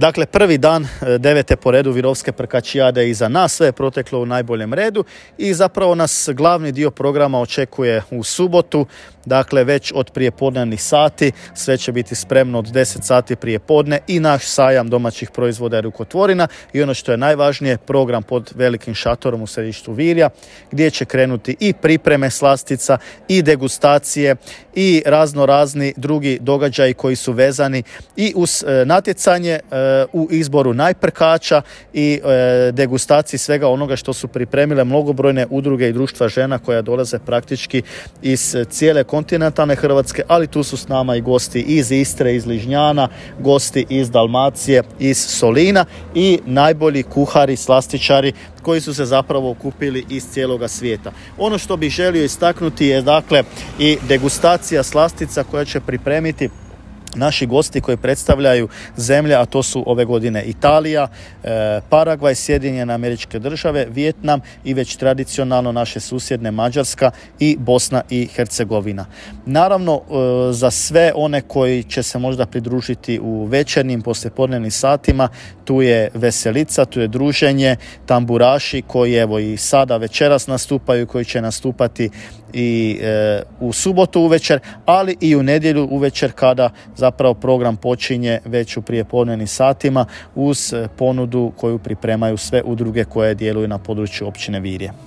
Dakle, prvi dan 9. po redu Virovske prkačijade iza nas, sve je proteklo u najboljem redu i zapravo nas glavni dio programa očekuje u subotu, dakle već od prijepodnevnih sati, sve će biti spremno od 10 sati prijepodne i naš sajam domaćih proizvoda i rukotvorina i ono što je najvažnije, program pod velikim šatorom u središtu Virja, gdje će krenuti i pripreme slastica i degustacije i razni drugi događaji koji su vezani i uz natjecanje u izboru najprkača i degustaciji svega onoga što su pripremile mnogobrojne udruge i društva žena koja dolaze praktički iz cijele kontinentalne Hrvatske, ali tu su s nama i gosti iz Istre, iz Ližnjana, gosti iz Dalmacije, iz Solina i najbolji kuhari, slastičari koji su se zapravo okupili iz cijeloga svijeta. Ono što bih želio istaknuti je dakle i degustacija slastica koja će pripremiti naši gosti koji predstavljaju zemlje, a to su ove godine Italija, Paragvaj, Sjedinjene Američke Države, Vijetnam i već tradicionalno naše susjedne Mađarska i Bosna i Hercegovina. Naravno, za sve one koji će se možda pridružiti u večernjim poslijepodnevnim satima, tu je veselica, tu je druženje, tamburaši koji evo i sada večeras nastupaju, koji će nastupati i u subotu uvečer, ali i u nedjelju uvečer kada zapravo program počinje već u prijepodnevnim satima uz ponudu koju pripremaju sve udruge koje djeluju na području općine Virje.